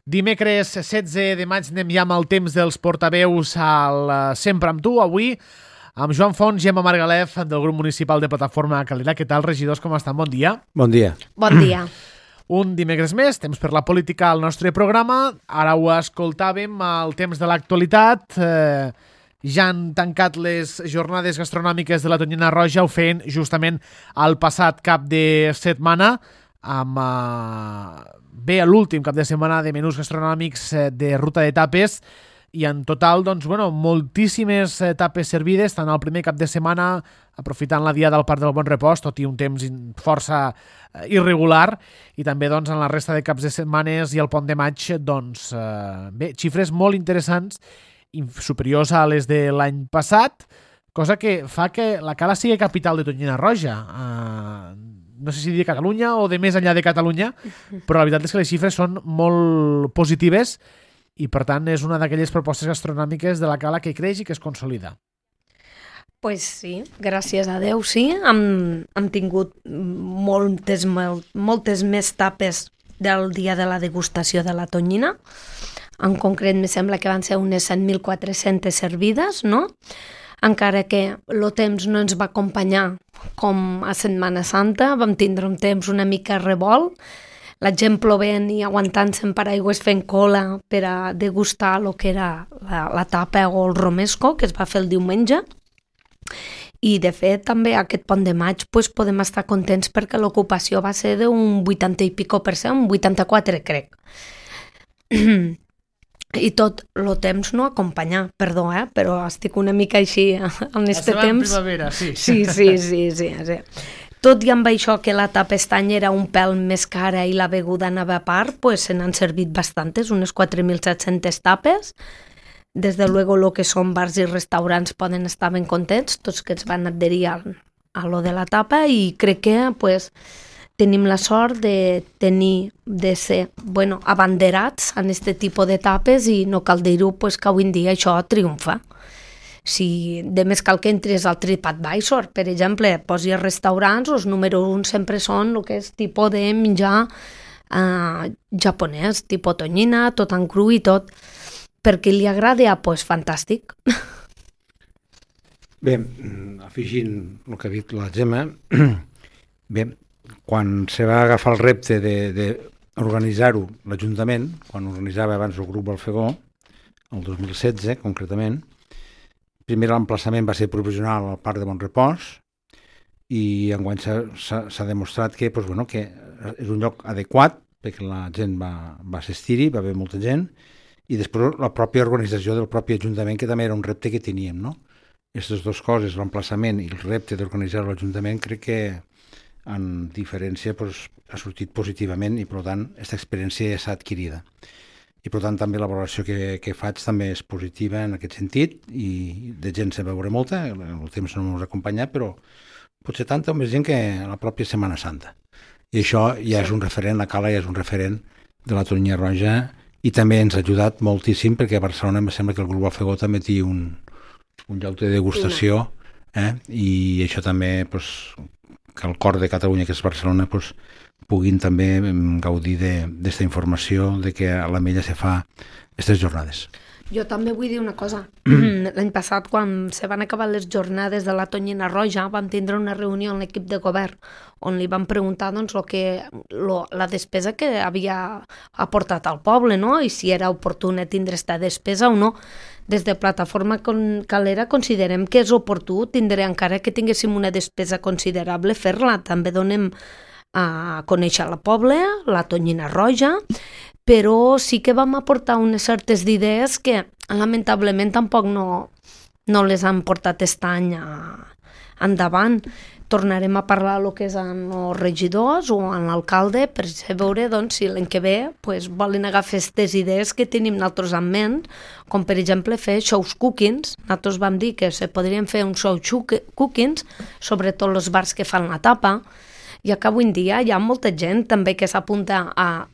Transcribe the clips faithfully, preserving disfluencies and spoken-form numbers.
Dimecres setze de maig anem ja amb el temps dels portaveus al Sempre amb tu, avui amb Joan Fons i Emma Margalef del grup municipal de Plataforma Calera. Què tal, regidors, com estan? Bon dia. Bon dia. Bon dia. Un dimecres més, temps per la política al nostre programa. Ara ho escoltàvem al temps de l'actualitat. Eh, ja han tancat les jornades gastronòmiques de la Tonyina Roja, ho feien justament el passat cap de setmana, amb eh, bé l'últim cap de setmana de menús gastronòmics eh, de ruta de tapes, i en total, doncs, bueno, moltíssimes eh, tapes servides, tant el primer cap de setmana, aprofitant la dia del Parc del Bon Repòs, tot i un temps força eh, irregular, i també, doncs, en la resta de caps de setmanes i el pont de maig, doncs, eh, bé, xifres molt interessants, superiors a les de l'any passat, cosa que fa que la Cala sigui capital de Tonyina Roja. Eh, no sé si dir Catalunya o de més enllà de Catalunya, però la veritat és que les xifres són molt positives i, per tant, és una d'aquelles propostes gastronòmiques de la Cala que creix i que es consolida. Pues sí, gràcies a Déu, sí. Hem, hem tingut moltes, moltes més tapes del dia de la degustació de la tonyina. En concret, me sembla que van ser unes set mil quatre-centes servides, no? Encara que el temps no ens va acompanyar com a Setmana Santa, vam tindre un temps una mica revolt, la gent plovent i aguantant-se en paraigües fent cola per a degustar el que era la, la tapa o el romesco, que es va fer el diumenge. I, de fet, també aquest pont de maig pues, podem estar contents perquè l'ocupació va ser d'un vuitanta i pico per cent, un vuitanta-quatre, crec. I tot el temps no acompanyar, perdó, eh? Però estic una mica així en este temps. La primavera, sí. Sí, sí, sí, sí, sí. Tot i amb això que la tapa estany era un pèl més cara i la beguda anava a part, pues se n'han servit bastantes, unes quatre mil set-centes tapes. Des de luego lo que són bars i restaurants poden estar ben contents, tots que es van adherir a, a lo de la tapa, i crec que pues, tenim la sort de tenir, de ser, bueno, abanderats en aquest tipus de tapes, i no cal dir-ho, pues, que avui en dia això triomfa. Si de més cal que entres al TripAdvisor, per exemple, posi restaurants, els número un sempre són el que és tipus de menjar eh, japonès, tipus tonyina, tot en cru i tot. Per qui li agrada, ah, pues, fantàstic. Bé, afegint el que ha dit la Gemma, bé, quan se va agafar el repte d'organitzar-ho l'Ajuntament, quan organitzava abans el grup Balfegó, el dos mil setze concretament, primer l'emplaçament va ser provisional al Parc de Bon Repòs, i enguany s'ha demostrat que, doncs, bueno, que és un lloc adequat perquè la gent va, va assistir-hi, va haver molta gent, i després la pròpia organització del propi Ajuntament, que també era un repte que teníem, no? Aquestes dues coses, l'emplaçament i el repte d'organitzar l'Ajuntament, crec que en diferència doncs, ha sortit positivament, i per tant aquesta experiència ja s'ha adquirida. I per tant també la valoració que, que faig també és positiva en aquest sentit, i de gent se veure molta, el temps no m'ha acompanyat, però potser tanta o més gent que la pròpia Setmana Santa. I això ja és un referent, la Cala ja és un referent de la Tonyina Roja, i també ens ha ajudat moltíssim perquè a Barcelona em sembla que el grup Balfegó també té un, un lloc de degustació, eh? I això també doncs, que el cor de Catalunya, que és Barcelona, doncs, puguin també gaudir d'aquesta informació de que a l'Ametlla se fa aquestes jornades. Jo també vull dir una cosa. L'any passat, quan se van acabar les jornades de la Tonyina Roja, vam tindre una reunió amb l'equip de govern on li van preguntar doncs, lo que, lo, la despesa que havia aportat al poble, no? I si era oportuna tindre aquesta despesa o no. Des de Plataforma Calera considerem que és oportú tindre, encara que tinguéssim una despesa considerable, fer-la. També donem a conèixer la poble, la Tonyina Roja, però sí que vam aportar unes certes idees que lamentablement tampoc no, no les han portat aquest any a, endavant. Tornarem a parlar el que és amb els regidors o amb l'alcalde per veure doncs, si l'any que ve pues, volen agafar aquestes idees que tenim nosaltres en ment, com per exemple fer shows cookings. Nosaltres vam dir que se podrien fer un show cookings, sobretot els bars que fan la tapa, ja que avui en dia hi ha molta gent també que s'apunta a,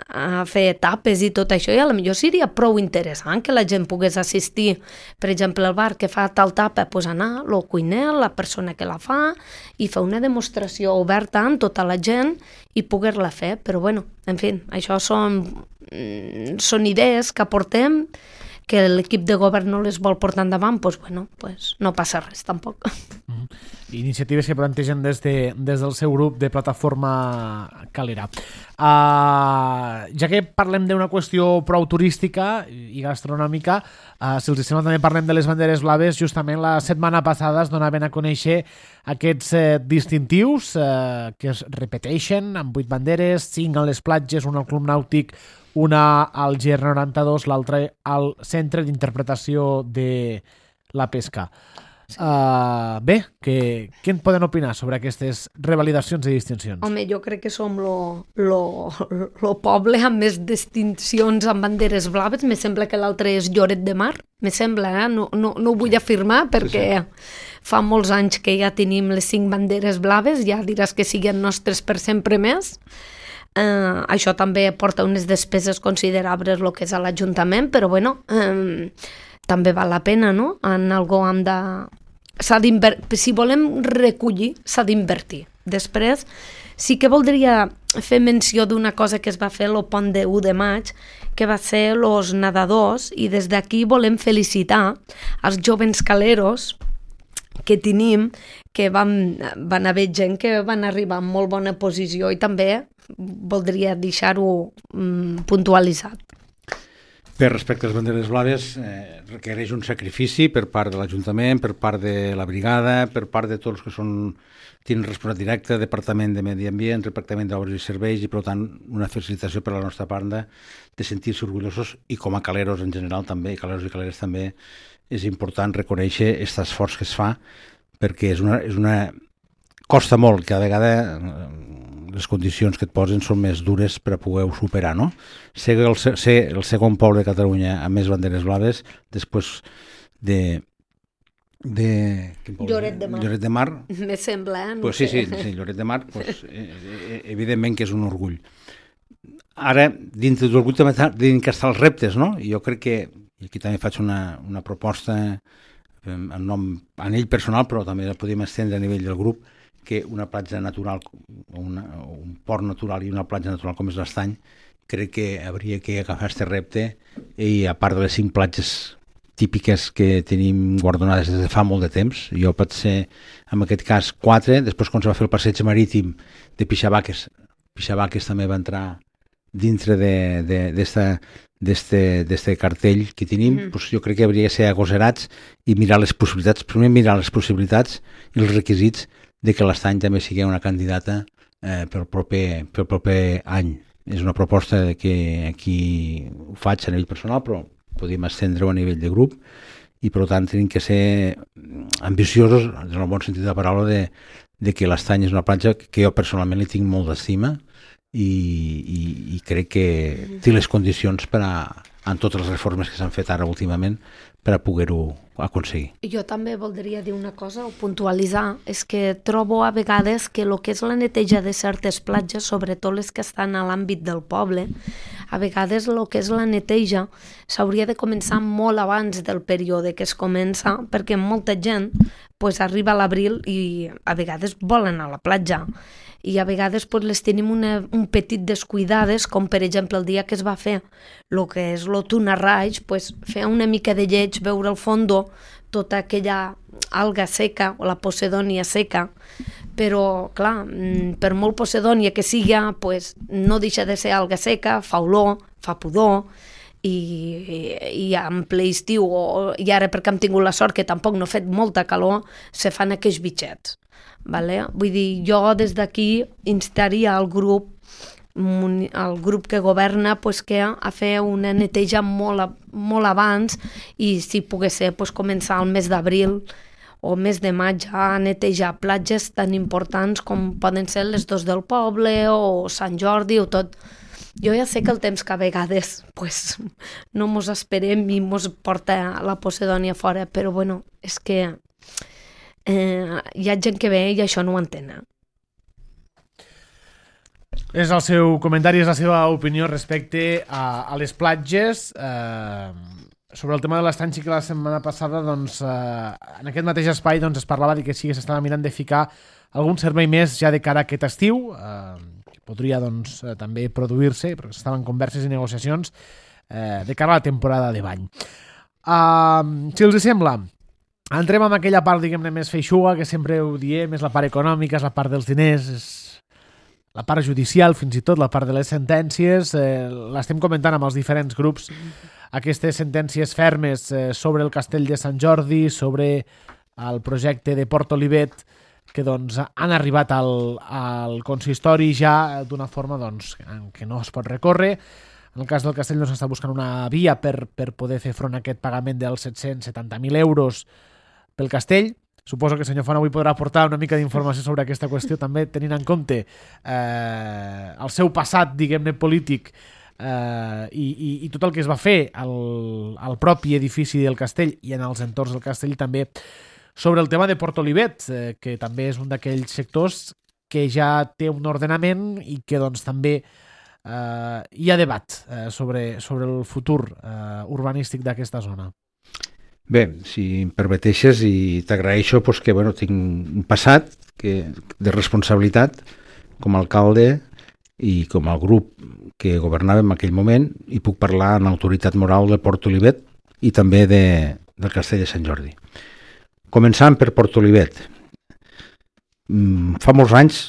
a fer tapes i tot això, i a lo millor seria prou interessant que la gent pogués assistir, per exemple, al bar que fa tal tapa, pues anar, el cuiner, la persona que la fa, i fer una demostració oberta amb tota la gent i poder-la fer, però bueno, en fi, això són, són idees que aportem, que l'equip de govern no les vol portar endavant, doncs bueno, pues no passa res tampoc. Mm. Iniciatives que plantegen des, de, des del seu grup de Plataforma Calera. Uh, ja que parlem d'una qüestió prou turística i gastronòmica, uh, si els sembla també parlem de les banderes blaves. Justament la setmana passada es donaven a conèixer aquests eh, distintius eh, que es repeteixen amb vuit banderes, cinc a les platges, un al Club Nàutic, una al G R noranta-dos, l'altra al Centre d'Interpretació de la Pesca. Uh, bé, que, què en poden opinar sobre aquestes revalidacions i distincions? Home, jo crec que som lo, lo, lo poble amb més distincions amb banderes blaves. Me sembla que l'altre és Lloret de Mar, me sembla, eh? no, no, no ho vull afirmar perquè sí, sí. Fa molts anys que ja tenim les cinc banderes blaves, ja diràs que siguin nostres per sempre més. Uh, això també porta unes despeses considerables el que és a l'Ajuntament, però bueno, um, també val la pena, no? En algo hem de... S'ha si volem recollir, s'ha d'invertir. Després, sí que voldria fer menció d'una cosa que es va fer el pont de u de maig, que va ser els nedadors, i des d'aquí volem felicitar els jovens caleros que tenim, que van, van haver gent que van arribar en molt bona posició, i també voldria deixar-ho mm, puntualitzat. Per respecte a les banderes blaves, eh, requereix un sacrifici per part de l'Ajuntament, per part de la brigada, per part de tots els que són, tenen responsabilitat directa, Departament de Medi Ambient, Departament d'Obres i Serveis, i per tant una felicitació per la nostra banda de sentir-se orgullosos, i com a caleros en general també, i caleros i caleres també, és important reconèixer aquest esforç que es fa, perquè és una, és una... costa molt, que a vegades les condicions que et posen són més dures per a poder-ho superar, no? Ser el, ser el segon poble de Catalunya amb més banderes blaves, després de... de Lloret de Mar. Lloret de Mar. Me sembla, eh? No pues sí, sí, sí, Lloret de Mar, pues, eh, evidentment que és un orgull. Ara, dintre de l'orgull també tenim que estar els reptes, no? I jo crec que, i aquí també faig una, una proposta en nom a ell personal, però també la podem estendre a nivell del grup, que una platja natural, una, un port natural i una platja natural com és l'Estany, crec que hauria que agafar aquest repte, i a part de les cinc platges típiques que tenim guardonades des de fa molt de temps, jo pot ser, en aquest cas, quatre, després quan se va fer el passeig marítim de Pixabaques, Pixabaques també va entrar dintre d'aquest cartell que tenim, mm. doncs jo crec que hauria de ser agosarats i mirar les possibilitats, primer mirar les possibilitats i els requisits de que l'Estany també sigui una candidata eh, pel, proper, pel proper any. És una proposta que aquí ho faig a nivell personal, però podem estendre-ho a nivell de grup, i per tant tenim que ser ambiciosos, en el bon sentit de la paraula, de, de que l'Estany és una platja que jo personalment li tinc molt d'estima, i, i, i crec que té les condicions per a, en totes les reformes que s'han fet ara últimament, per a poder-ho aconseguir. Jo també voldria dir una cosa o puntualitzar, és que trobo a vegades que el que és la neteja de certes platges, sobretot les que estan a l'àmbit del poble, a vegades el que és la neteja s'hauria de començar molt abans del període que es comença, perquè molta gent pues, arriba a l'abril i a vegades volen a la platja, i a vegades pues, les tenim una, un petit descuidades, com per exemple el dia que es va fer el que és el tuna raig, pues, fer una mica de lleig, veure al fondo tota aquella alga seca o la posedònia seca, però clar, per molt posedònia que siga, pues, no deixa de ser alga seca, fa olor, fa pudor, i, i, i en ple estiu, o, i ara perquè hem tingut la sort que tampoc no ha fet molta calor, se fan aquells bitxets. Vale? Vull dir, jo des d'aquí instaria al grup el grup que governa pues, que a fer una neteja molt, molt abans, i si pogués ser pues, començar al mes d'abril o mes de maig a netejar platges tan importants com poden ser les dos del poble o Sant Jordi o tot. Jo ja sé que el temps que a vegades pues, no mos esperem i mos porta la posedònia fora, però bueno, és que Eh, hi ha gent que ve i això no ho entén. És el seu comentari, és la seva opinió respecte a, a les platges. Eh, sobre el tema de l'estanci, que la setmana passada, doncs, eh, en aquest mateix espai doncs, es parlava de que sí que s'estava mirant de ficar algun servei més ja de cara a aquest estiu, eh, que podria doncs, eh, també produir-se, perquè estaven converses i negociacions eh, de cara a la temporada de bany. Uh, si els sembla, entrem en aquella part, diguem-ne, més feixuga, que sempre ho diem, és la part econòmica, és la part dels diners, és la part judicial, fins i tot la part de les sentències. Eh, l'estem comentant amb els diferents grups, aquestes sentències fermes eh, sobre el castell de Sant Jordi, sobre el projecte de Port Olivet, que doncs, han arribat al, al consistori ja d'una forma doncs, que no es pot recórrer. En el cas del castell doncs, s'està buscant una via per, per poder fer front a aquest pagament dels set-cents setanta mil euros pel castell. Suposo que el senyor Font avui podrà aportar una mica d'informació sobre aquesta qüestió, també tenint en compte eh, el seu passat, diguem-ne, polític eh, i, i, i tot el que es va fer al, al propi edifici del castell i en els entorns del castell, també sobre el tema de Port Olivet, eh, que també és un d'aquells sectors que ja té un ordenament i que doncs, també eh, hi ha debat eh, sobre, sobre el futur eh, urbanístic d'aquesta zona. Bé, si em permeteixes, i t'agraeixo pues, que bueno, tinc un passat que, de responsabilitat com a alcalde i com a grup que governava en aquell moment, i puc parlar en autoritat moral de Port Olivet i també de, del castell de Sant Jordi. Començant per Port Olivet. Fa molts anys,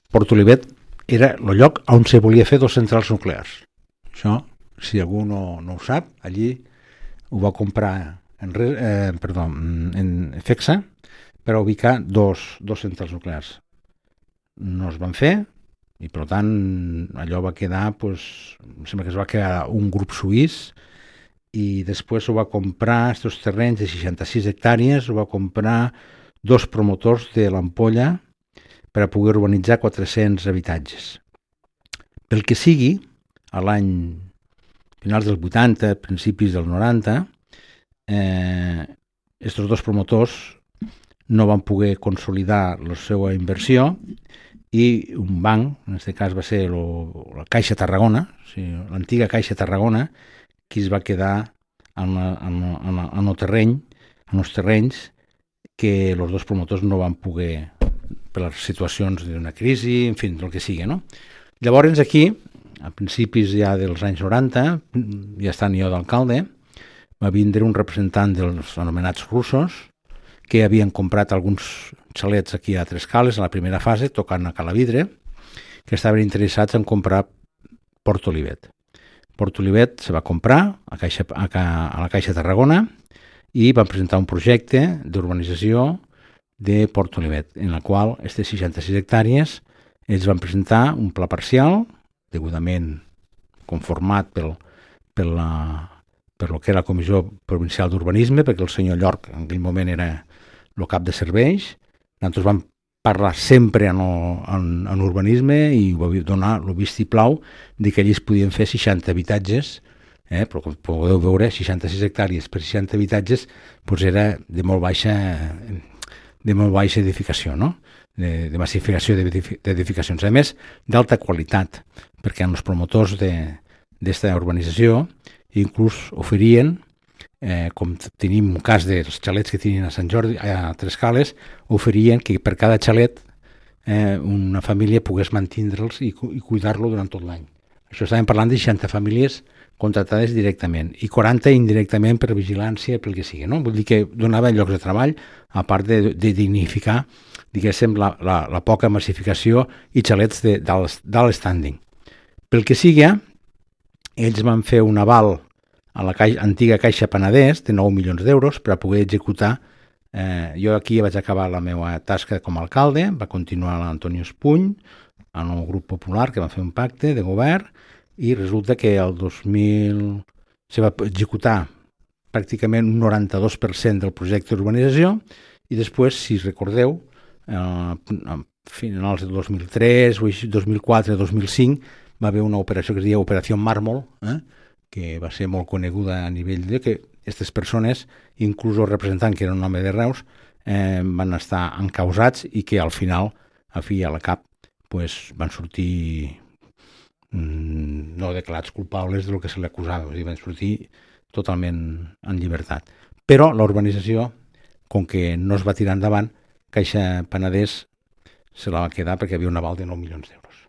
Port Olivet era el lloc on se volia fer dos centrals nuclears. Això, si algú no, no ho sap, allí ho va comprar en, eh, perdó, en FECSA per a ubicar dos, dos centrals nuclears. No es van fer i per tant allò va quedar, pues, em sembla que es va quedar un grup suís, i després ho va comprar, aquests terrenys de seixanta-sis hectàrees, ho va comprar dos promotors de l'Ampolla per a poder urbanitzar quatre-cents habitatges. Pel que sigui, a l'any finals dels vuitanta, principis dels noranta, eh, estos dos promotors no van poder consolidar la seva inversió i un banc, en aquest cas va ser lo, la Caixa Tarragona, o sigui, l'antiga Caixa Tarragona, qui es va quedar en, la, en, la, en, la, en el terreny, en els terrenys que els dos promotors no van poder, per les situacions d'una crisi, en fi, el que sigui, no? Llavors aquí, a principis ja dels anys noranta, ja estant jo d'alcalde, va vindre un representant dels anomenats russos que havien comprat alguns xalets aquí a Tres Cales, a la primera fase, tocant a Calavidre, que estaven interessats en comprar Port Olivet. Port Olivet se va comprar a, Caixa, a, a la Caixa Tarragona i van presentar un projecte d'urbanització de Port Olivet, en la qual aquestes seixanta-sis hectàrees ells van presentar un pla parcial, degudament conformat pel, pel, la, per lo que era la Comissió Provincial d'Urbanisme, perquè el senyor Llorc en aquell moment era el cap de serveis. Nosaltres vam parlar sempre en, el, en, en urbanisme i va donar el vistiplau de que allí es podien fer seixanta habitatges, eh? Però com podeu veure, seixanta-sis hectàrees per seixanta habitatges doncs era de molt baixa, de molt baixa edificació, no? de, de massificació d'edificacions. A més, d'alta qualitat, perquè els promotors d'esta urbanització inclús oferien, eh, com tenim un cas dels xalets que tenen a Sant Jordi, a Tres Cales, oferien que per cada xalet eh, una família pogués mantindre'ls i, i cuidar-lo durant tot l'any. Això estàvem parlant de seixanta famílies contractades directament i quaranta indirectament per vigilància, pel que sigui, no? Vull dir que donava llocs de treball, a part de, de dignificar, diguéssim, la, la, la poca massificació i xalets d'alt standing. Pel que sigui, ells van fer un aval a la caixa, antiga Caixa Penedès de nou milions d'euros per a poder executar. Eh, jo aquí vaig acabar la meva tasca com a alcalde, va continuar l'Antonio Espuny, en el grup popular, que va fer un pacte de govern, i resulta que el dos mil se va executar pràcticament un noranta-dos per cent del projecte d'urbanització i després, si recordeu, eh, a finals del dos mil tres, dos mil quatre, dos mil cinc, va haver una operació que es deia Operació Mármol, eh, que va ser molt coneguda a nivell de que aquestes persones, inclús el representant, que era un home de Reus, eh, van estar encausats i que al final, a fi i a la cap, pues, van sortir no declarats culpables del que se li acusava, o sigui, van sortir totalment en llibertat. Però la urbanització, com que no es va tirar endavant, Caixa Penedès se la va quedar perquè hi havia un aval de nou milions d'euros.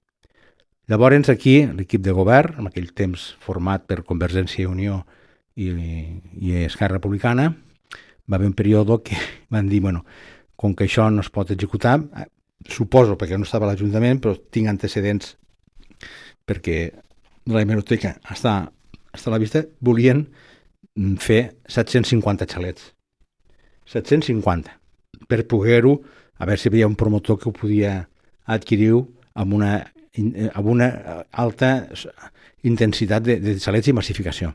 Llavors aquí l'equip de govern, en aquell temps format per Convergència i Unió i, i Esquerra Republicana, va haver un període que van dir, bueno, com que això no es pot executar, suposo perquè no estava a l'Ajuntament, però tinc antecedents perquè la hemeroteca està, està a la vista, volien fer set-cents cinquanta xalets. set-cents cinquanta. Per poder-ho, a veure si hi havia un promotor que ho podia adquirir amb una, amb una alta intensitat de, de xalets i massificació.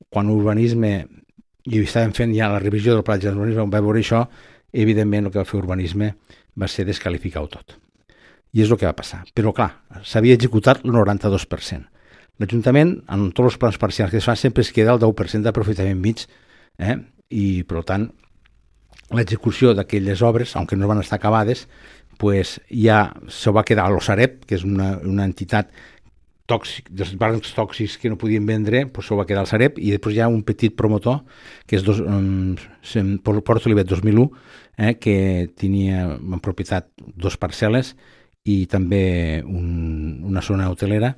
Quan l'urbanisme, i estàvem fent ja la revisió del pla de urbanisme, vam veure això, evidentment el que va fer urbanisme va ser desqualificar-ho tot. I és el que va passar. Però clar, s'havia executat el noranta-dos per cent. L'Ajuntament, en tots els plans parcials que es fa, sempre es queda el deu per cent d'aprofitament mig, eh? I per tant, l'execució d'aquelles obres, aunque no van estar acabades, pues ja se va quedar a l'Osarep, que és una, una entitat tòxic, dels bancs tòxics que no podien vendre, pues se va quedar al Sareb, i després hi ha un petit promotor, que és dos, um, Port Olivet dos mil u, eh, que tenia en propietat dos parcel·les i també un, una zona hotelera,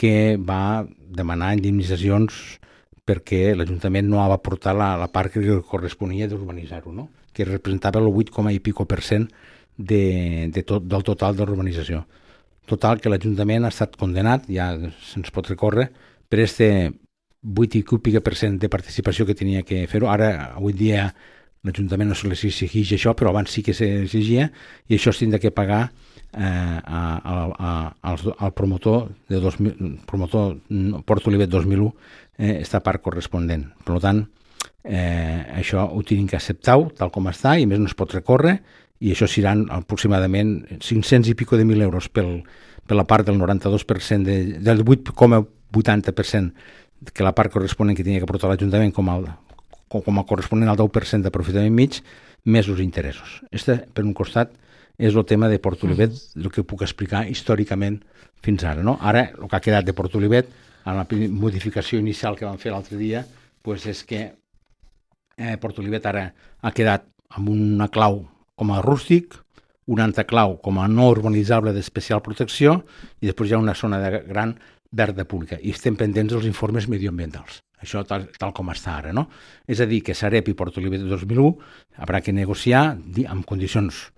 que va demanar indemnitzacions perquè l'Ajuntament no va aportar la, la part que corresponia d'urbanitzar-ho, no? Que representava el vuit coma i pico per cent de, de tot, del total de l'urbanització. Total, que l'Ajuntament ha estat condenat, ja se'ns pot recórrer, per este vuit i pico per cent de participació que tenia que fer-ho. Ara, avui dia, l'Ajuntament no se li exigeix això, però abans sí que s'exigia, i això es tindrà que pagar eh, a, a, a, al, al promotor de dos mil, promotor Port Olivet dos mil u, eh, esta part corresponent. Per tant, eh, això ho tenim que acceptar tal com està, i més no es pot recórrer, i això seran aproximadament cinc-cents i pico de mil euros pel, per la part del noranta-dos per cent, de, del vuit coma vuitanta per cent que la part corresponent que tenia que aportar l'Ajuntament com, el, com a corresponent al deu per cent d'aprofitament mig, més els interessos. Este, per un costat, és el tema de Port Olivet, el que puc explicar històricament fins ara. No? Ara, el que ha quedat de Port Olivet, en la modificació inicial que vam fer l'altre dia, pues és que eh, Port Olivet ara ha quedat amb una clau com a rústic, una altra clau com a no urbanitzable d'especial protecció, i després hi ha una zona de gran verda pública, i estem pendents dels informes medioambientals. Això tal, tal com està ara, no? És a dir, que Sareb i Port Olivet dos mil u haurà que negociar amb condicions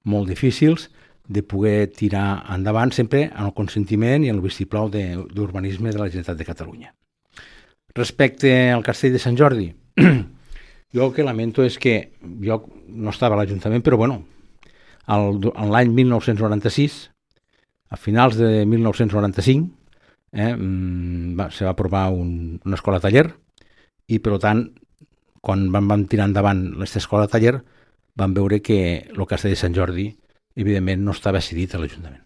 molt difícils de poder tirar endavant sempre en el consentiment i en el vistiplau d'urbanisme de la Generalitat de Catalunya. Respecte al Castell de Sant Jordi, jo el que lamento és que jo no estava a l'Ajuntament, però bueno, en l'any mil nou-cents noranta-sis, a finals de mil nou-cents noranta-cinc, eh, va, se va aprovar un, una escola taller, i per tant, quan vam, vam tirar endavant aquesta escola taller, vam veure que el Castell de Sant Jordi, evidentment, no estava cedit a l'Ajuntament.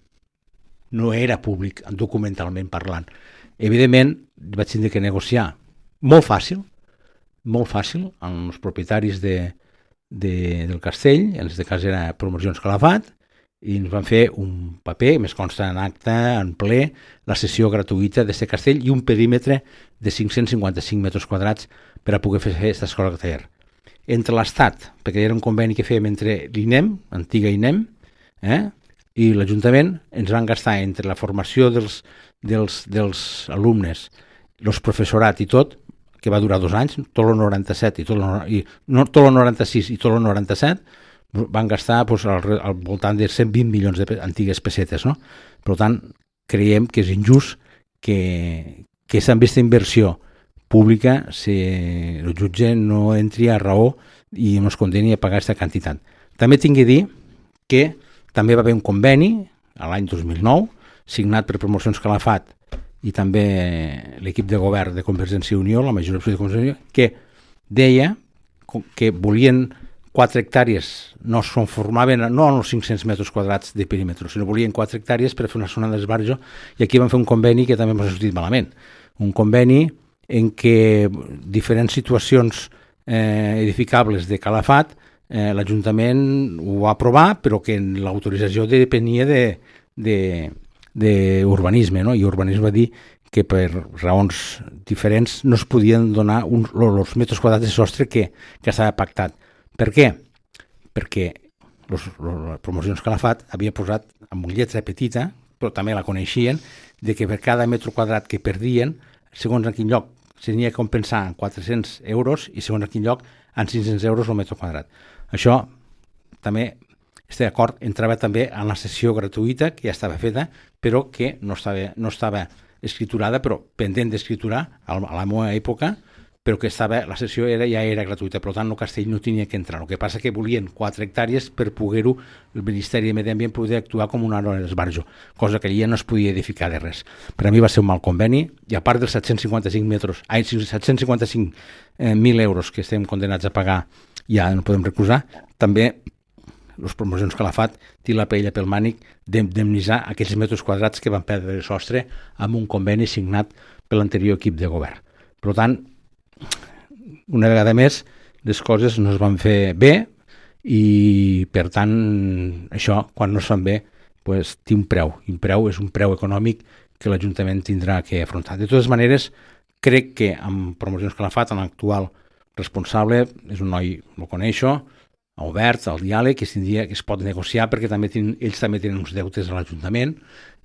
No era públic, documentalment parlant. Evidentment, vaig tindre que negociar molt fàcil, molt fàcil, amb els propietaris de, de, del castell, en aquest cas era Promocions Calafat, i ens van fer un paper, més consta en acte, en ple, la sessió gratuïta d'aquest castell i un perímetre de cinc-cents cinquanta-cinc metres quadrats per a poder fer aquesta escola taller. Entre l'Estat, perquè era un conveni que fèiem entre l'I N E M, antiga I N E M, eh, i l'Ajuntament, ens van gastar entre la formació dels, dels, dels alumnes, els professorat i tot, que va durar dos anys, tot el noranta-set i tot el, i, no, tot el noranta-sis i tot el noranta-set, van gastar pues, al, al voltant de cent vint milions d'antigues pessetes. No? Per tant, creiem que és injust que, que amb aquesta inversió pública si el jutge no entri a raó i no es condeni a pagar aquesta quantitat. També tinc que dir que també va haver un conveni a l'any dos mil nou, signat per Promocions Calafat i també l'equip de govern de Convergència i Unió, la majoria de Convergència i Unió, que deia que volien quatre hectàrees, no es conformaven no en els cinc-cents metres quadrats de perímetre, sinó volien quatre hectàrees per fer una zona d'esbarjo, i aquí van fer un conveni que també m'ha sortit malament. Un conveni en què diferents situacions eh, edificables de Calafat, eh, l'Ajuntament ho va aprovar, però que l'autorització depenia de, de, d'urbanisme, no? I urbanisme va dir que per raons diferents no es podien donar uns, els metres quadrats de sostre que, que estava pactat. Per què? Perquè les promocions Calafat havia posat amb una lletra petita, però també la coneixien, de que per cada metre quadrat que perdien, segons en quin lloc s'havia de compensar en quatre-cents euros i segons en quin lloc en cinc-cents euros el metre quadrat. Això també, este acord entrava també en la sessió gratuïta que ja estava feta, però que no estava, no estava escriturada, però pendent d'escriturar a la meva època, però que estava, la sessió era, ja era gratuïta, per tant el castell no tenia que entrar. El que passa que volien quatre hectàrees per poder-ho, el Ministeri de Medi Ambient poder actuar com una hora d'esbarjo, cosa que allà no es podia edificar de res. Per a mi va ser un mal conveni, i a part dels set-cents cinquanta-cinc metres, ai, set-cents cinquanta-cinc mil euros que estem condenats a pagar, ja no podem recusar, també les promocions Calafat té la paella pel mànic d'indemnitzar aquells metres quadrats que van perdre el sostre amb un conveni signat per l'anterior equip de govern. Per tant, una vegada més, les coses no es van fer bé i, per tant, això, quan no es fan bé, pues, té un preu. I un preu és un preu econòmic que l'Ajuntament tindrà que afrontar. De totes maneres, crec que amb promocions Calafat, l'actual responsable, és un noi, ho coneixo, obert al diàleg, que es, tindria, que es pot negociar perquè també tenen, ells també tenen uns deutes a l'Ajuntament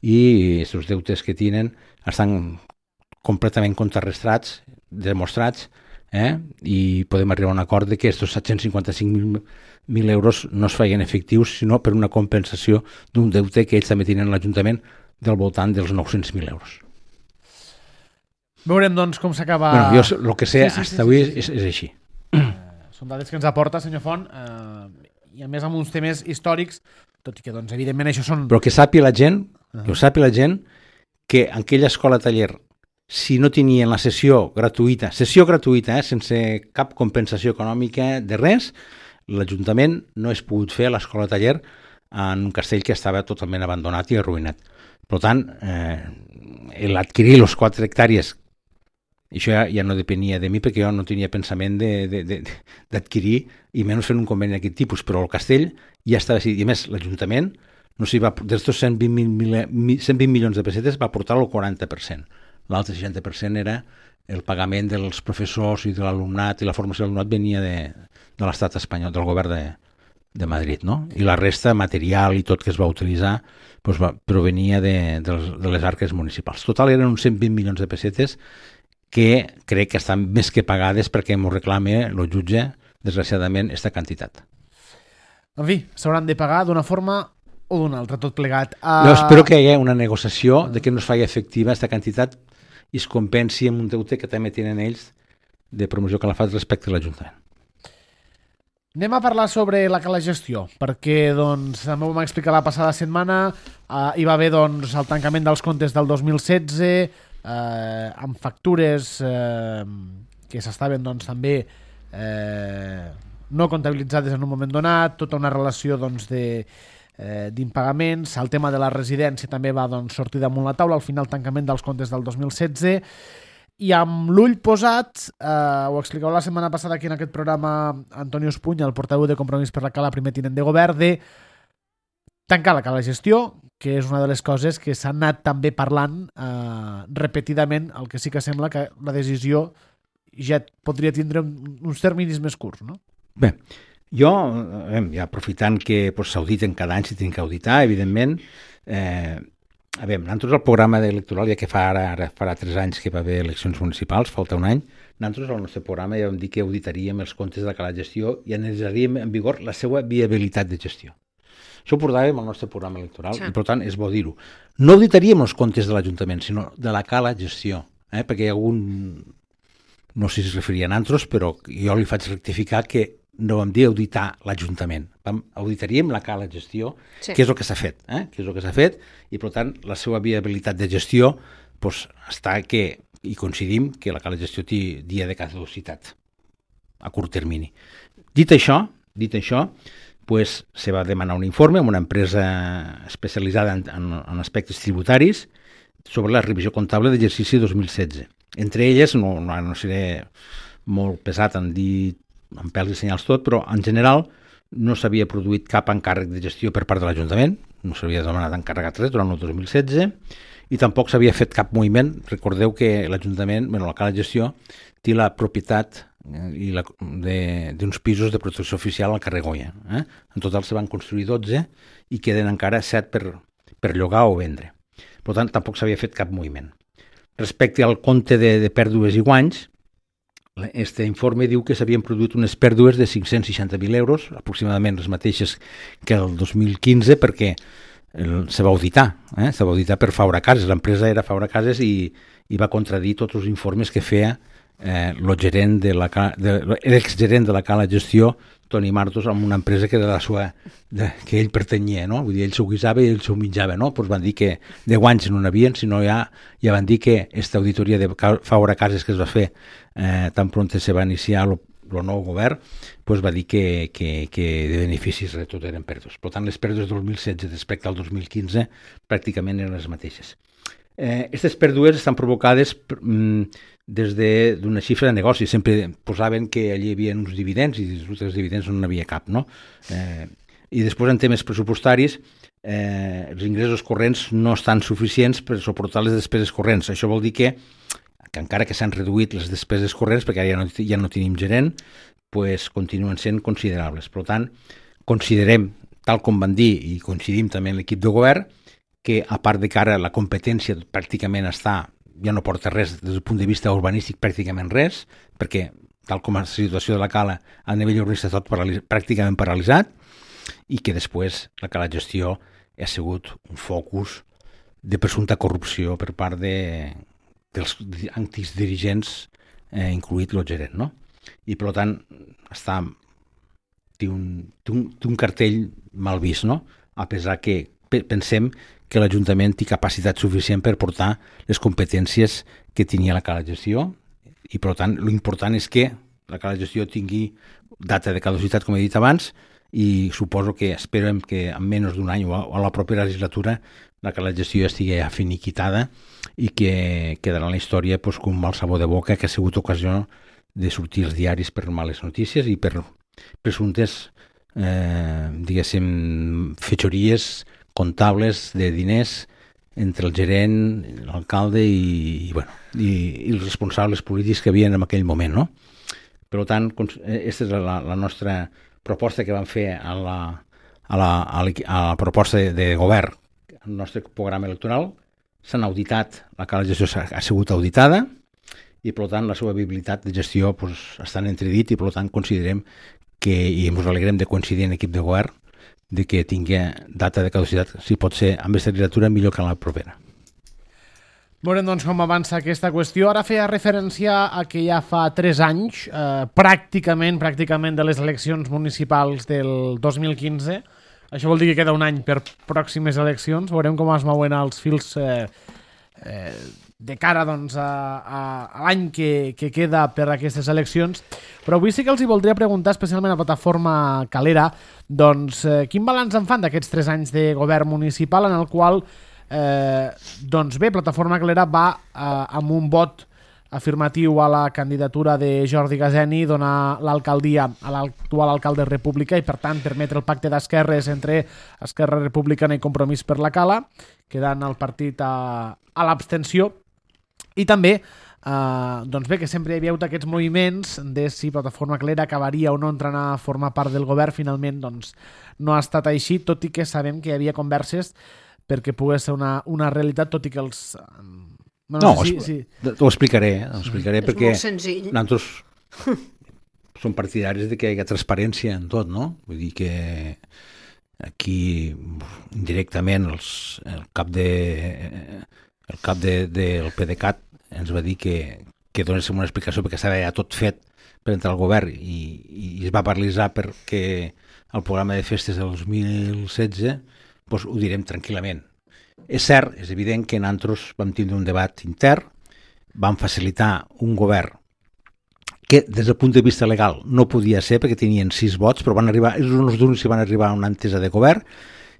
i aquests deutes que tenen estan completament contrarrestats, demostrats, eh? I podem arribar a un acord de que aquests set-cents cinquanta-cinc mil euros no es feien efectius, sinó per una compensació d'un deute que ells també tenen a l'Ajuntament del voltant dels nou-cents mil euros. Veurem, doncs, com s'acaba... Bueno, jo el que sé, sí, sí, fins sí, avui sí, sí. És, és així. Són dades que ens aporta, senyor Font, eh, i a més amb uns temes històrics, tot i que, doncs, evidentment, això són... Però que sàpiga la gent, uh-huh. que ho sàpiga la gent, que en aquella escola taller, si no tenien la sessió gratuïta, sessió gratuïta, eh, sense cap compensació econòmica de res, l'Ajuntament no és pogut fer l'escola taller en un castell que estava totalment abandonat i arruïnat. Per tant, eh, l'adquirir les quatre hectàrees, això ja, ja no depenia de mi perquè jo no tenia pensament d'adquirir i menys fent un conveni d'aquest tipus, però el castell ja estava decidit. I a més, l'Ajuntament, no sé, va, d'estos cent vint milions de pessetes va portar el quaranta per cent. L'altre seixanta per cent era el pagament dels professors i de l'alumnat, i la formació de l'alumnat venia de, de l'estat espanyol, del govern de, de Madrid, no? I la resta, material i tot que es va utilitzar, doncs va, provenia de, de, les, de les arques municipals. Total, eren uns cent vint milions de pessetes que crec que estan més que pagades perquè m'ho reclame el jutge, desgraciadament, aquesta quantitat. En fi, s'hauran de pagar d'una forma o d'una altra, tot plegat. Uh... Jo espero que hi hagi una negociació de que no es faci efectiva aquesta quantitat i es compensi amb un deute que també tenen ells de promoció Calafat respecte a l'Ajuntament. Anem a parlar sobre la cala gestió, perquè, doncs, també ho vam explicar la passada setmana, uh, hi va haver, doncs, el tancament dels comptes del dos mil setze, eh, amb factures eh, que s'estaven, doncs, també eh, no comptabilitzades en un moment donat, tota una relació, doncs, de eh, d'impagaments. El tema de la residència també va, doncs, sortir damunt la taula al final tancament dels comptes del dos mil setze, i amb l'ull posat, eh, ho explicava la setmana passada aquí en aquest programa Antonio Espuña, el portaveu de Compromís per la Cala, primer tinent de govern, de tancar la cala gestió, que és una de les coses que s'ha anat també parlant eh, repetidament, el que sí que sembla que la decisió ja podria tindre uns terminis més curts, no? Bé, jo, eh, ja aprofitant que pues, s'auditen cada any, si tenen que auditar, evidentment, eh, a veure, nosaltres el programa electoral, ja que fa ara, ara farà tres anys que va haver eleccions municipals, falta un any, nosaltres al nostre programa ja vam dir que auditaríem els comptes de la cala gestió i analitzaríem en vigor la seva viabilitat de gestió. Això ho portàvem al nostre programa electoral, sí. I per tant és bo dir-ho. No auditaríem els comptes de l'Ajuntament, sinó de la cala gestió, eh? Perquè hi ha algun, no sé si es referia a nosaltres, però jo li faig rectificar que no vam dir auditar l'Ajuntament, vam, auditaríem la cala gestió, sí. Que és el que s'ha fet, eh? Que és el que s'ha fet, i per tant la seva viabilitat de gestió pues, està que, i coincidim que la cala gestió té dia de caducitat a curt termini. Dit això, dit això, pues, se va demanar un informe amb una empresa especialitzada en, en, en aspectes tributaris sobre la revisió comptable d'exercici dos mil setze. Entre elles, no, no, no seré molt pesat en dir amb pèls i senyals tot, però en general no s'havia produït cap encàrrec de gestió per part de l'Ajuntament, no s'havia demanat encàrregat res durant el dos mil setze, i tampoc s'havia fet cap moviment. Recordeu que l'Ajuntament, bueno, la Cala de Gestió, té la propietat i la, d'uns pisos de protecció oficial al carrer Goya. Eh? En total se van construir dotze i queden encara set per, per llogar o vendre. Per tant, tampoc s'havia fet cap moviment. Respecte al compte de, de pèrdues i guanys, este informe diu que s'havien produït unes pèrdues de cinc-cents seixanta mil euros, aproximadament les mateixes que el dos mil quinze, perquè el, se va auditar, eh? se va auditar per Faura Cases, l'empresa era Faura Cases i, i va contradir tots els informes que feia eh, gerent de la, de, l'exgerent de la Cala Gestió, Toni Martos, amb una empresa que era la sua, de, que ell pertanyia, no? Vull dir, ell s'ho guisava i ell s'ho menjava, no? Pues van dir que de guanys no n'havien, sinó ja, ja van dir que aquesta auditoria de Faura Cases que es va fer eh, tan pront se va iniciar el nou govern, pues va dir que, que, que de beneficis tot eren pèrdues. Per tant, les pèrdues del dos mil setze respecte al dos mil quinze pràcticament eren les mateixes. Aquestes eh, pèrdues estan provocades mm, des d'una xifra de negoci. Sempre posaven que allí hi havia uns dividends i dels dividends no n'hi havia cap, no? Eh, I després, en temes pressupostaris, eh, els ingressos corrents no estan suficients per suportar les despeses corrents. Això vol dir que, que encara que s'han reduït les despeses corrents, perquè ara ja no, ja no tenim gerent, pues, continuen sent considerables. Per tant, considerem, tal com van dir, i coincidim també en l'equip de govern, que a part de que ara la competència pràcticament està, ja no porta res des del punt de vista urbanístic, pràcticament res, perquè tal com és la situació de la Cala a nivell urbanista tot paralis- pràcticament paralitzat, i que després la Cala Gestió ha sigut un focus de presumpta corrupció per part de, dels antics dirigents, eh, incluït el gerent, no? I per tant està, té, un, té, un, té un cartell mal vist, no? A pesar que pensem que l'Ajuntament té capacitat suficient per portar les competències que tenia la Cala Gestió i, per tant, l'important és que la Cala Gestió tingui data de caducitat, com he dit abans, i suposo que esperem que en menys d'un any o a la propera legislatura la Cala Gestió ja estigui finiquitada i que quedarà en la història pues, com un mal sabor de boca que ha sigut ocasió de sortir als diaris per males notícies i per presumptes, eh, diguéssim, fetxories comptables de diners entre el gerent, l'alcalde i, i, bueno, i, i els responsables polítics que havien en aquell moment, no? Per tant, aquesta és la, la nostra proposta que vam fer a la, a la, a la, a la proposta de, de govern, el nostre programa electoral. S'han auditat, la Cala de Gestió ha sigut auditada i, per tant, la seva viabilitat de gestió pues, està en entredit i, per tant, considerem que, i ens alegrem de coincidir en l'equip de govern, de que tingui data de caducitat, si pot ser amb aquesta legislatura millor que en la propera. Veurem doncs com avança aquesta qüestió. Ara feia referència a que ja fa tres anys, eh, pràcticament, pràcticament de les eleccions municipals del dos mil quinze. Això vol dir que queda un any per pròximes eleccions. Veurem com es mouen els fils eh, eh, de cara doncs, a, a, a l'any que, que queda per aquestes eleccions. Però avui sí que els hi voldria preguntar, especialment a la plataforma Calera, doncs, eh, quin balanç en fan d'aquests tres anys de govern municipal en el qual, eh, doncs bé, Plataforma Calera va eh, amb un vot afirmatiu a la candidatura de Jordi Gazeni, donar l'alcaldia a l'actual alcalde República i, per tant, permetre el pacte d'esquerres entre Esquerra Republicana i Compromís per la Cala, quedant el partit a, a l'abstenció. I també, eh, doncs bé, que sempre hi havia hagut aquests moviments de si Plataforma Calera acabaria o no entrant a formar part del govern. Finalment, doncs, no ha estat així, tot i que sabem que hi havia converses perquè pogués ser una, una realitat, tot i que els... No, no sí, sí. T'ho explicaré, ho explicaré és perquè molt senzill. nosaltres som partidaris de que hi hagi transparència en tot, no? Vull dir que aquí indirectament els, el cap de el cap de, del PDeCAT ens va dir que, que donéssim una explicació perquè estava ja tot fet per entrar al govern i, i es va paralitzar perquè el programa de festes del dos mil setze doncs ho direm tranquil·lament. És cert, és evident que nosaltres vam tindre un debat intern, vam facilitar un govern que des del punt de vista legal no podia ser perquè tenien sis vots, però van arribar, els uns d'uns van arribar a una entesa de govern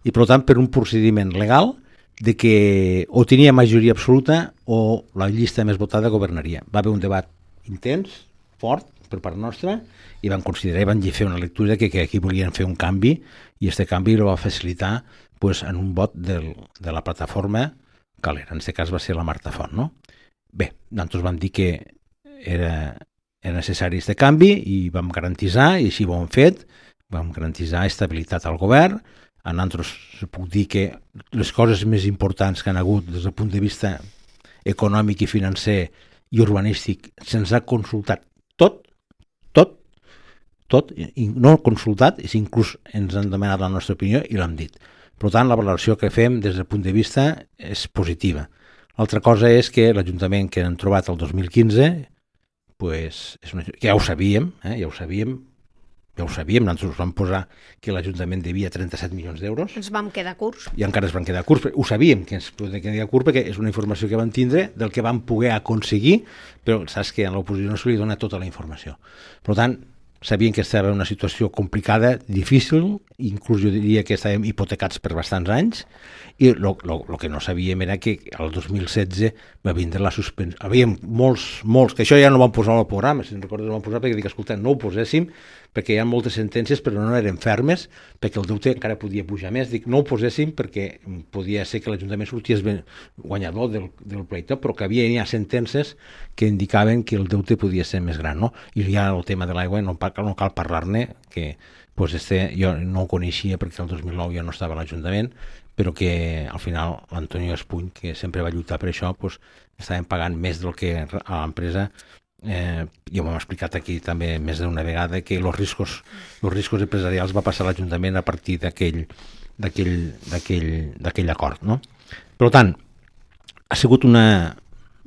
i per tant per un procediment legal de que o tenia majoria absoluta o la llista més votada governaria. Va haver un debat intens, fort, per part nostra i van considerar i van fer una lectura que, que aquí volien fer un canvi i aquest canvi el va facilitar pues, en un vot del, de la plataforma Calera. En aquest cas va ser la Marta Font. No? Bé, nosaltres vam dir que era, era necessari aquest canvi i vam garantitzar, i així ho hem fet, vam garantitzar estabilitat al govern. A nosaltres puc dir que les coses més importants que han hagut des del punt de vista econòmic i financer i urbanístic se'ns ha consultat tot, tot, tot, i no consultat, i inclús ens han demanat la nostra opinió i l'hem dit. Per tant, la valoració que fem des del punt de vista és positiva. L'altra cosa és que l'Ajuntament que han trobat el dos mil quinze, pues, és una, ja ho sabíem, eh, ja ho sabíem, ja ho sabíem, nosaltres vam posar que l'Ajuntament devia trenta-set milions d'euros. Ens vam quedar curts. I encara es van quedar curts. Ho sabíem que ens podien quedar curts perquè és una informació que vam tindre del que vam poder aconseguir, però saps que a l'oposició no se li dona tota la informació. Per tant, sabien que estava en una situació complicada, difícil, inclús jo diria que estàvem hipotecats per bastants anys, i el que no sabíem era que el dos mil setze va vindre la suspensió. Havíem molts, molts, que això ja no ho vam posar al programa, si no recordes ho vam posar perquè dic, escolta, no ho poséssim, perquè hi ha moltes sentències però no eren fermes, perquè el deute encara podia pujar més. Dic, no ho poséssim perquè podia ser que l'Ajuntament sortís guanyador del, del pleito, però que havia ja sentències que indicaven que el deute podia ser més gran, no? I ja el tema de l'aigua no, no cal parlar-ne, que pues este, jo no ho coneixia perquè el dos mil nou jo no estava a l'Ajuntament, però que al final l'Antonio Espuny, que sempre va lluitar per això, pues, estàvem pagant més del que a l'empresa. Eh, ja ho hem explicat aquí també més d'una vegada que els riscos, els riscos empresarials va passar a l'Ajuntament a partir d'aquell d'aquell acord. No? Per tant, ha sigut una,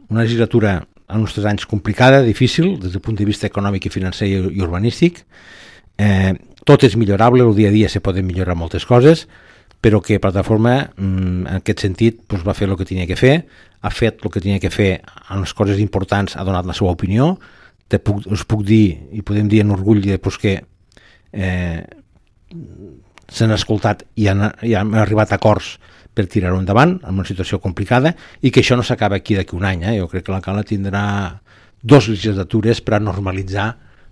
una legislatura en uns tres anys complicada, difícil, des del punt de vista econòmic i financer i, i urbanístic. Eh, tot és millorable, el dia a dia se poden millorar moltes coses, però que Plataforma, en aquest sentit, doncs, va fer el que tenia que fer, ha fet el que tenia que fer en les coses importants, ha donat la seva opinió. Te puc, us puc dir, i podem dir en orgull, doncs, que eh, s'han escoltat i han, i han arribat a acords per tirar-ho endavant en una situació complicada, i que això no s'acaba aquí d'aquí un any. Eh? Jo crec que l'alcalde tindrà dos legislatures per a normalitzar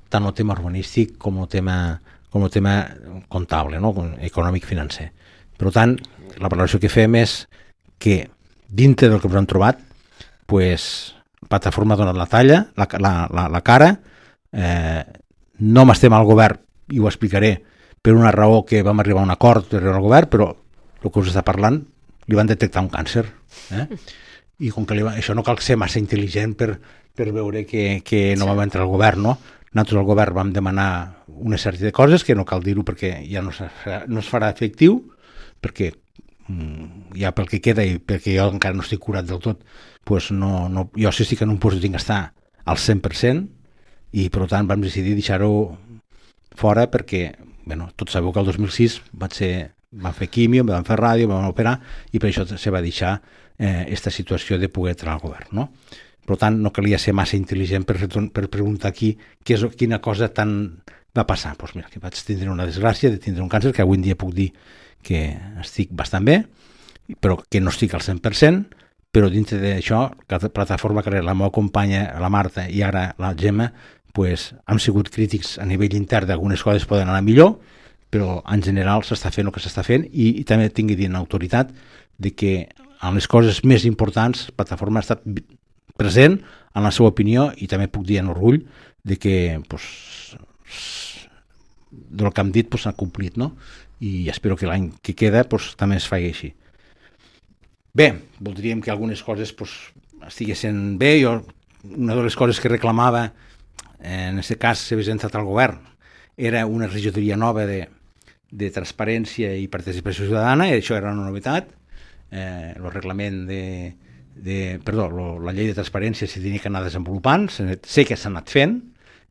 tant el tema urbanístic com el tema, com el tema comptable, no? Econòmic-financer. Per tant, la valoració que fem és que dintre del que ens han trobat, pues, Plataforma ha donat la talla, la, la, la, la cara, eh, no m'estem al govern, i ho explicaré, per una raó que vam arribar a un acord per al govern, però el que us està parlant, li van detectar un càncer. Eh? I com que li va, això no cal ser massa intel·ligent per, per veure que, que no vam entrar al govern, no? Nosaltres al govern vam demanar una sèrie de coses que no cal dir-ho perquè ja no, no es farà efectiu, perquè mm, ja pel que queda i perquè jo encara no estic curat del tot, pues no, no, jo sí estic en un post que tinc que estar al cent per cent i per tant vam decidir deixar-ho fora perquè, bueno, tots sabeu que el dos mil sis vaig ser, vam fer quimio, vam fer ràdio, vam operar i per això se va deixar aquesta eh, situació de poder entrar al govern, no? Per tant, no calia ser massa intel·ligent per, per preguntar aquí què és, quina cosa tan va passar. Doncs mira, que vaig tindre una desgràcia de tindre un càncer, que avui en dia puc dir que estic bastant bé, però que no estic al cent per cent, però dintre d'això, la Plataforma Calera, la meva companya, la Marta, i ara la Gemma, pues, hem sigut crítics a nivell intern d'algunes coses poden anar millor, però en general s'està fent el que s'està fent i, i també tinc que dir en autoritat de que en les coses més importants Plataforma ha estat present en la seva opinió i també puc dir en orgull de que pues, del que hem dit s'ha pues, complit, no? I espero que l'any que queda pues, també es faci així. Bé, voldríem que algunes coses pues, estiguessin bé. Jo, una de les coses que reclamava en aquest cas si hagués entrat al govern era una regidoria nova de, de transparència i participació ciutadana, i això era una novetat. Eh, el reglament de, de perdó, lo, la llei de transparència s'hi tenia que anar desenvolupant, sé que s'ha anat fent,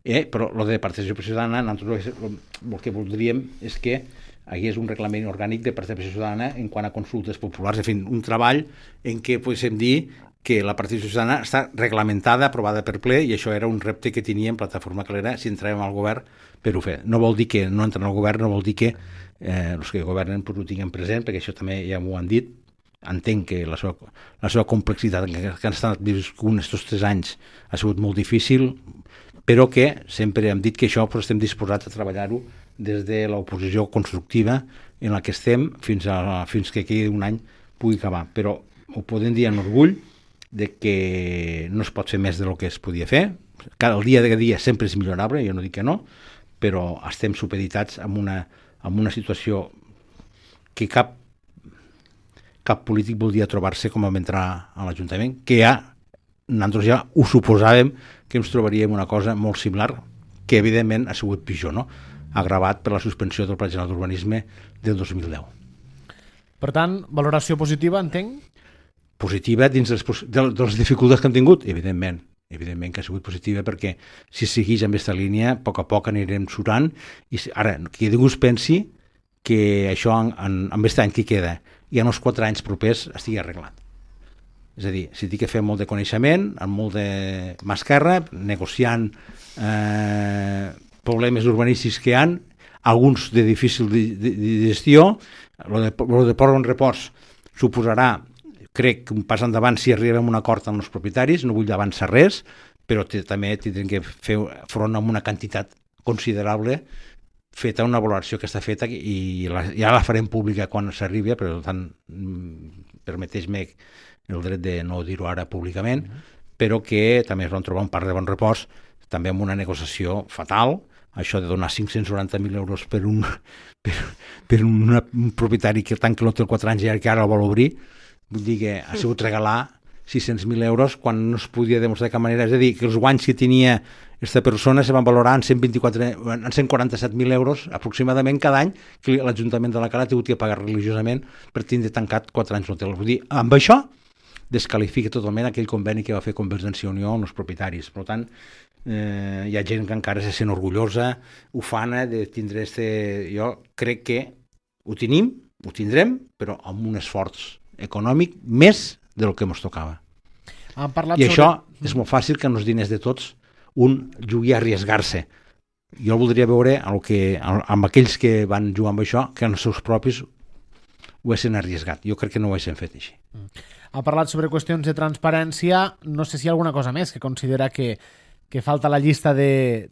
eh, però el de participació ciutadana, nosaltres el, el que voldríem és que hi hagués un reglament orgànic de participació ciutadana en quant a consultes populars, en fi, un treball en què podem dir que la participació ciutadana està reglamentada, aprovada per ple, i això era un repte que teníem Plataforma Calera si entràvem al govern per ho fer. No vol dir que no entren al govern, no vol dir que eh, els que governen pues, ho tinguin present, perquè això també ja m'ho han dit. Entenc que la seva, la seva complexitat que han estat viscut aquests tres anys ha sigut molt difícil, però que sempre hem dit que això pues, estem disposats a treballar-ho des de l'oposició constructiva en la que estem fins, a, fins que aquí un any pugui acabar. Però ho podem dir amb orgull de que no es pot fer més del que es podia fer. Cada dia de dia sempre és millorable, jo no dic que no, però estem supeditats en una, en una situació que cap, cap polític voldria trobar-se com vam entrar a l'Ajuntament, que ja, nosaltres ja ho suposàvem que ens trobaríem una cosa molt similar, que evidentment ha sigut pitjor, no? Agravat per la suspensió del Pla General d'Urbanisme del dos mil deu. Per tant, valoració positiva, entenc? Positiva dins les, de, de les dificultats que hem tingut? Evidentment, evidentment que ha sigut positiva, perquè si segueix amb aquesta línia, a poc a poc anirem surant, i ara, que ningú es pensi que això en, en, en aquest any que queda i en els quatre anys propers estigui arreglat. És a dir, si té que fer molt de coneixement, amb molt de mà esquerra, negociant eh, problemes urbanístics que hi ha, alguns de difícil de, de, de gestió, el de, de port en repòs suposarà, crec, un pas endavant si arribem a un acord amb els propietaris, no vull avançar res, però també tindrem que fer front a una quantitat considerable feta una valoració que està feta i la, ja la farem pública quan s'arribi, per tant, permeteix-me el dret de no dir-ho ara públicament, però que també es van trobar un parc de bon repòs, també amb una negociació fatal, això de donar cinc-cents noranta mil euros per un, per, per una, un propietari que tanca l'hotel quatre anys i que ara el vol obrir, vull dir que ha sigut regalar sis-cents mil euros quan no es podia demostrar de cap manera, és a dir, que els guanys que tenia aquesta persona se van valorar en cent vint-i-quatre, en cent quaranta-set mil euros aproximadament cada any que l'Ajuntament de la Cala ha hagut que pagar religiosament per tindre tancat quatre anys l'hotel. Vull dir, amb això descalifica totalment aquell conveni que va fer Convergència i Unió amb els propietaris. Per tant, eh, hi ha gent que encara se sent orgullosa, ufana de tindre este... Jo crec que ho tenim, ho tindrem, però amb un esforç econòmic més del que ens tocava. Han parlat I sobre... això és molt fàcil que amb els diners de tots un jugui a arriesgar-se. Jo voldria veure el que, amb aquells que van jugar amb això, que els seus propis ho haguessin arriesgat. Jo crec que no ho haguessin fet així. Ha parlat sobre qüestions de transparència. No sé si hi ha alguna cosa més que considera que, que falta la llista de,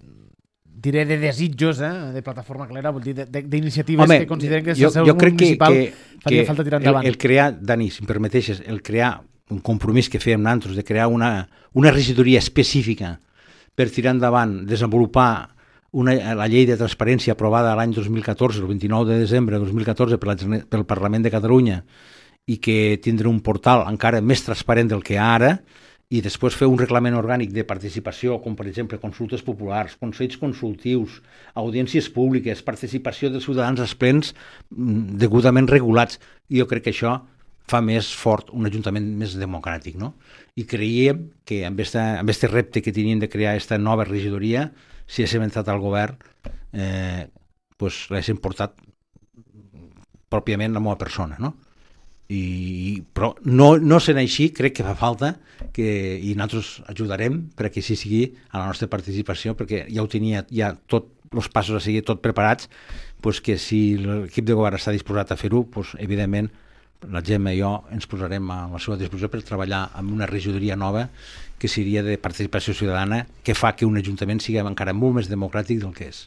diré, de desitjos, eh? De Plataforma Clara, vol dir, d'iniciatives que consideren que és jo, el seu jo crec municipal que, que, faria que falta tirar endavant. El, el crear, Dani, si em permeteixes, el crear un compromís que fèiem nosaltres de crear una, una regidoria específica per tirar endavant, desenvolupar una, la llei de transparència aprovada l'any dos mil catorze, el vint-i-nou de desembre de dos mil catorze per la, pel Parlament de Catalunya, i que tindrà un portal encara més transparent del que hi ha ara, i després fer un reglament orgànic de participació, com per exemple consultes populars, consells consultius, audiències públiques, participació dels ciutadans als plens degudament regulats. I jo crec que això fa més fort un ajuntament més democràtic, no? I creiem que amb aquest repte que tenien de crear aquesta nova regidoria, si haguéssim entrat al govern, eh, pues l'haguéssim portat pròpiament la meva persona, no? I, però no, no sent així, crec que fa falta que, i nosaltres ajudarem perquè així sigui a la nostra participació, perquè ja ho tenia, ja tots els passos a seguir tot preparats, pues que si l'equip de govern està disposat a fer-ho, pues evidentment la Gemma i jo ens posarem a la seva disposició per treballar amb una regidoria nova que seria de participació ciutadana, que fa que un ajuntament sigui encara molt més democràtic del que és.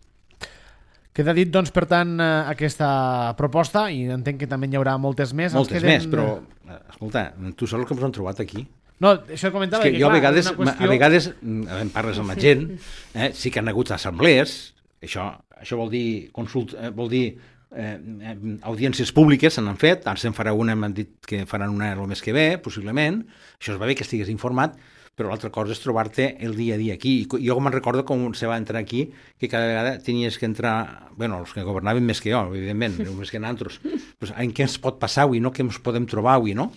Queda dit, doncs, per tant, aquesta proposta, i entenc que també hi haurà moltes més. Moltes queden... més, però, escolta, tu saps el que ens han trobat aquí? No, això comentava és que, que jo clar, a vegades, qüestió... a vegades em parles amb la gent, eh, sí que han hagut assemblees, això, això vol dir, consult, vol dir eh, audiències públiques, se n'han fet, ara se'n farà una, m'han dit que faran una el mes que ve, possiblement, això es va bé que estigués informat, però l'altra cosa és trobar-te el dia a dia aquí. I jo me'n recordo com se va entrar aquí, que cada vegada tenies que entrar, bueno, els que governaven més que jo, evidentment, més que nosaltres, pues, en què ens pot passar avui, no? Què ens podem trobar avui, no?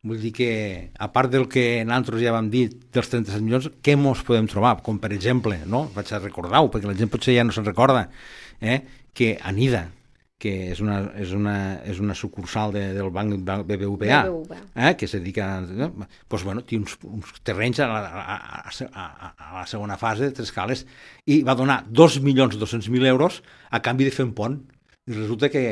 Vull dir que, a part del que nosaltres ja vam dir dels trenta-set milions, què ens podem trobar? Com, per exemple, no? Vaig a recordar-ho, perquè la gent potser ja no se'n recorda, eh? Que Anida, que és una, és una, és una sucursal de, del banc B B V A, eh, que se dedica a... Doncs, bueno, té uns, uns terrenys a la, a, a, a la segona fase de tres cales i va donar dos milions dos-cents mil euros a canvi de fer un pont. I resulta que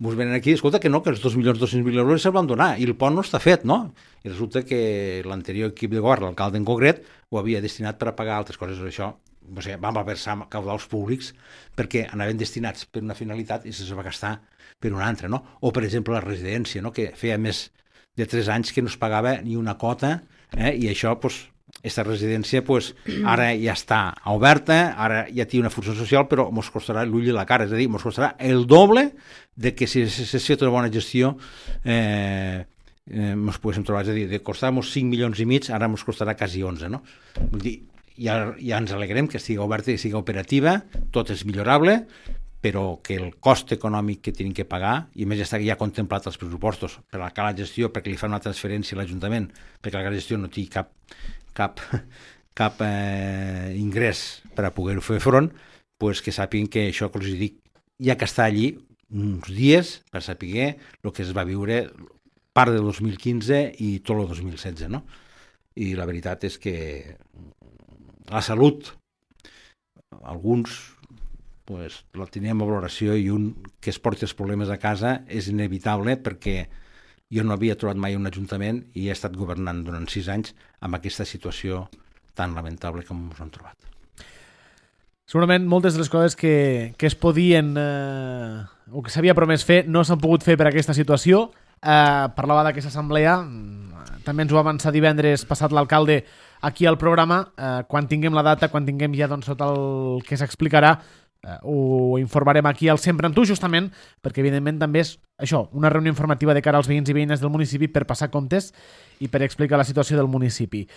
ens venen aquí, escolta, que no, que els dos milions dos-cents mil euros se'ls van donar i el pont no està fet, no? I resulta que l'anterior equip de govern, l'alcalde en concret, ho havia destinat per a pagar altres coses. Això o sigui, vam versar caudals públics perquè anaven destinats per una finalitat i se va gastar per una altra, no? O, per exemple, la residència, no? Que feia més de tres anys que no es pagava ni una cota, eh? I això, doncs, aquesta residència, pues, ara ja està oberta, ara ja té una funció social, però ens costarà l'ull i la cara, és a dir, ens costarà el doble de que si s'ha fet una bona gestió eh, eh, ens poguéssim trobar, és a dir, de costar-nos cinc milions i mig, ara ens costarà quasi onze, no? Vull dir, ja, ja ens alegrem que estigui oberta i estigui operativa, tot és millorable, però que el cost econòmic que tenen que pagar, i a més ja està ja contemplat als pressupostos per a la gestió, perquè li fan una transferència a l'Ajuntament, perquè la gestió no té cap, cap, cap eh, ingrés per a poder fer front, pues que sàpiguen que això que els dic, ja que està allí uns dies per saber el que es va viure part del dos mil quinze i tot el dos mil setze, no? I la veritat és que la salut, alguns pues, la teníem a valoració i un que es porti els problemes a casa és inevitable perquè jo no havia trobat mai un ajuntament i he estat governant durant sis anys amb aquesta situació tan lamentable com ens hem trobat. Segurament moltes de les coses que, que es podien eh, o que s'havia promès fer no s'han pogut fer per aquesta situació. Eh, parlava d'aquesta assemblea, també ens ho va avançar divendres passat l'alcalde aquí al programa. Eh, quan tinguem la data, quan tinguem ja doncs, tot el que s'explicarà, eh, ho informarem aquí al Sempre amb tu, justament perquè evidentment també és això, una reunió informativa de cara als veïns i veïnes del municipi per passar comptes i per explicar la situació del municipi.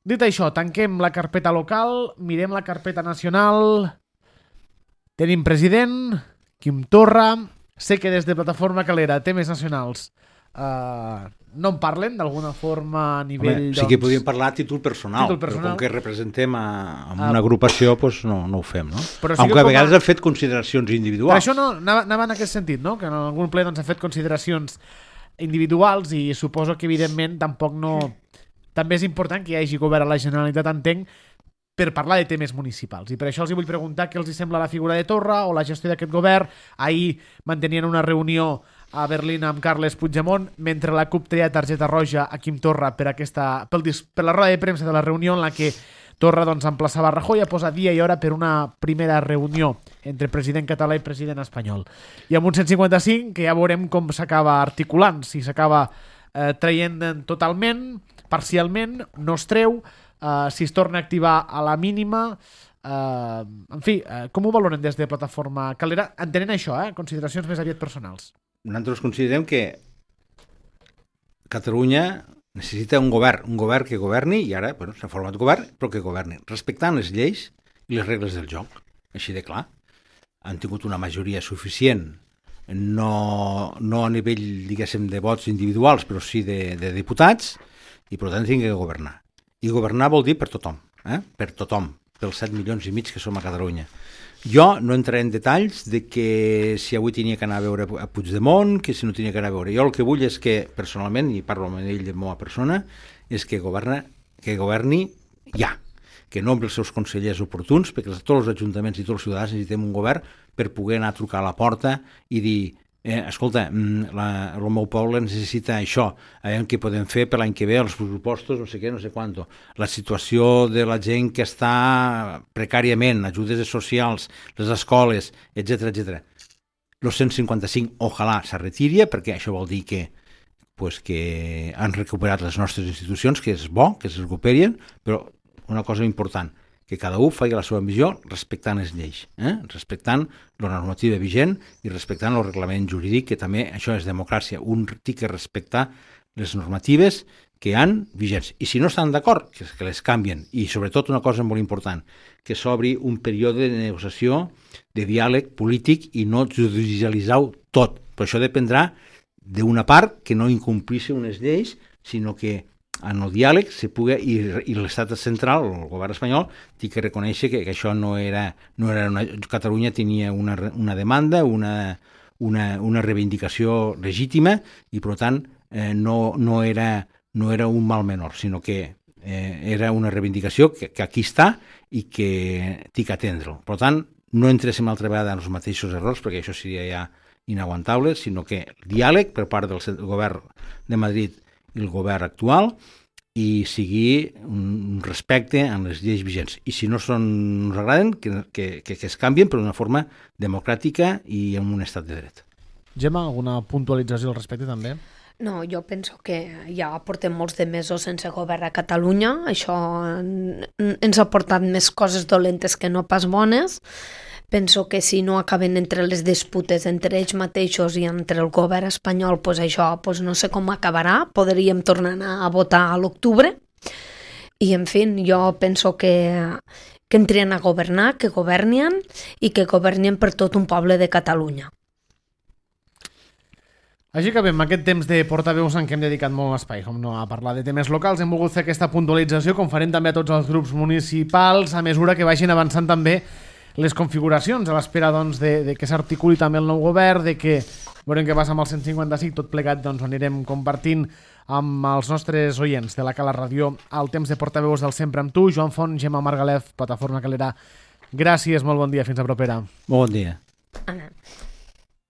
Dit això, tanquem la carpeta local, mirem la carpeta nacional. Tenim president, Quim Torra. Sé que des de Plataforma Calera, temes nacionals, uh, no en parlen d'alguna forma a nivell... Home, doncs... sí que podríem parlar a títol personal, títol personal. Però com que representem a, a una agrupació, doncs no, no ho fem, no? Però sí Aunque a vegades a... han fet consideracions individuals. Per això no, anava, anava en aquest sentit, no? Que en algun ple doncs, ha fet consideracions individuals i suposo que evidentment tampoc no... També és important que hi hagi govern a la Generalitat, entenc, per parlar de temes municipals. I per això els vull preguntar què els sembla la figura de Torra o la gestió d'aquest govern. Ahir mantenien una reunió a Berlín amb Carles Puigdemont, mentre la CUP treia targeta roja a Quim Torra per, aquesta, per, per la roda de premsa de la reunió en la que Torra doncs, emplaçava Rajoy a posar dia i hora per una primera reunió entre president català i president espanyol. I amb un cent cinquanta-cinc que ja veurem com s'acaba articulant, si s'acaba eh, traient totalment, parcialment, no es treu, uh, si es torna a activar a la mínima, uh, en fi, uh, com ho valoren des de Plataforma Calera? Entenent això, eh? Consideracions més aviat personals. Nosaltres considerem que Catalunya necessita un govern, un govern que governi, i ara bueno, s'ha format govern, però que governi, respectant les lleis i les regles del joc, així de clar. Han tingut una majoria suficient, no, no a nivell, diguéssim, de vots individuals, però sí de, de diputats, i per tant tinc que governar. I governar vol dir per tothom, eh? Per tothom, pels set milions i mig que som a Catalunya. Jo no entraré en detalls de que si avui tenia que anar a veure a Puigdemont, que si no tenia que anar a veure. Jo el que vull és que, personalment, i parlo amb ell de meva persona, és que, governa, que governi ja, que nombri els seus consellers oportuns, perquè tots els ajuntaments i tots els ciutadans necessitem un govern per poder anar a trucar a la porta i dir Eh, escolta, la, el meu poble necessita això, a veure què podem fer per l'any que ve, els pressupostos, no sé què, no sé quanto, la situació de la gent que està precàriament, ajudes socials, les escoles, etcètera, etcètera. El cent cinquanta-cinc, ojalà, se retiri, perquè això vol dir que, pues, que han recuperat les nostres institucions, que és bo, que es recuperien, però una cosa important, que cada un faci la seva missió respectant les lleis, eh? Respectant la normativa vigent i respectant el reglament jurídic, que també això és democràcia. Un té que respectar les normatives que han vigents. I si no estan d'acord, que, que les canvien. I sobretot una cosa molt important, que s'obri un període de negociació, de diàleg polític i no judicialitzar-ho tot. Però això dependrà d'una part que no incomplixi unes lleis, sinó que en el diàleg se pugui, i, i l'estat central, el govern espanyol, té que reconèixer que, que això no era, no era una, Catalunya tenia una, una demanda, una, una, una reivindicació legítima i per tant eh, no, no, era, no era un mal menor, sinó que eh, era una reivindicació que, que aquí està i que té que atendre-ho. Per tant, no entréssim altra vegada en els mateixos errors, perquè això seria ja inaguantable, sinó que diàleg per part del govern de Madrid i el govern actual, i sigui un respecte en les lleis vigents. I si no són, no ens agraden, que, que, que, que es canvien per d'una forma democràtica i en un estat de dret. Gemma, alguna puntualització al respecte també? No, jo penso que ja portem molts de mesos sense govern a Catalunya. Això ens ha portat més coses dolentes que no pas bones. Penso que si no acaben entre les disputes entre ells mateixos i entre el govern espanyol, pues això pues no sé com acabarà. Podríem tornar a votar a l'octubre. I, en fi, jo penso que, que entrien a governar, que governien i que governien per tot un poble de Catalunya. Així que bé, amb aquest temps de portaveus en què hem dedicat molt espai, com no, a parlar de temes locals, hem volgut fer aquesta puntualització, com farem també a tots els grups municipals, a mesura que vagin avançant també les configuracions, a l'espera doncs, de, de que s'articuli també el nou govern, de que veurem què passa amb el cent cinquanta-cinc, tot plegat doncs, ho anirem compartint amb els nostres oients de la Cala Ràdio al temps de portaveus del Sempre amb tu. Joan Font, Gemma Margalef, Plataforma Calera, gràcies, molt bon dia, fins a propera. Molt bon dia. Anna.